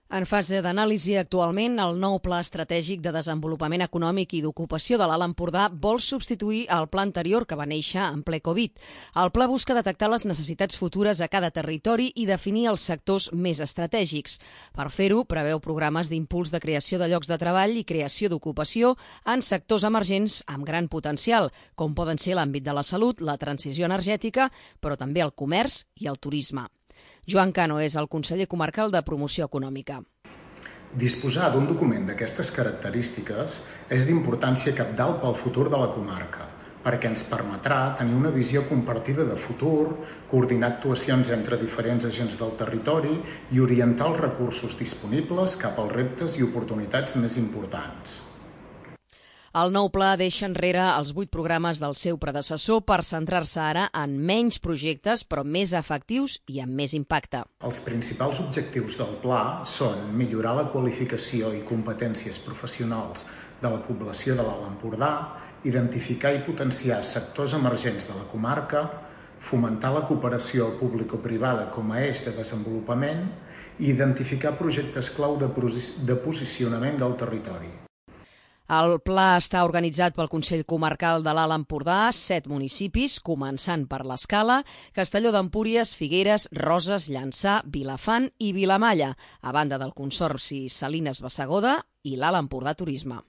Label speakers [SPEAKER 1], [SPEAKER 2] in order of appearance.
[SPEAKER 1] En fase d'anàlisi actualment, el nou Pla Estratègic de Desenvolupament Econòmic i d'Ocupació de l'Alt Empordà vol substituir el pla anterior que va néixer en ple Covid. El pla busca detectar les necessitats futures a cada territori i definir els sectors més estratègics. Per fer-ho, preveu programes d'impuls de creació de llocs de treball i creació d'ocupació en sectors emergents amb gran potencial, com poden ser l'àmbit de la salut, la transició energètica, però també el comerç i el turisme. Joan Cano és el conseller comarcal de Promoció Econòmica.
[SPEAKER 2] Disposar d'un document d'aquestes característiques és d'importància cabdal pel futur de la comarca, perquè ens permetrà tenir una visió compartida de futur, coordinar actuacions entre diferents agents del territori i orientar els recursos disponibles cap als reptes i oportunitats més importants.
[SPEAKER 1] El nou pla deixa enrere els 8 programes del seu predecessor per centrar-se ara en menys projectes, però més efectius i amb més impacte.
[SPEAKER 2] Els principals objectius del pla són millorar la qualificació i competències professionals de la població de l'Alt Empordà, identificar i potenciar sectors emergents de la comarca, fomentar la cooperació público-privada com a eix de desenvolupament i identificar projectes clau de posicionament del territori.
[SPEAKER 1] El pla està organitzat pel Consell Comarcal de l'Alt Empordà, 7 municipis, començant per l'Escala, Castelló d'Empúries, Figueres, Roses, Llançà, Vilafant i Vilamalla, a banda del Consorci Salines Bassegoda i l'Alt Empordà Turisme.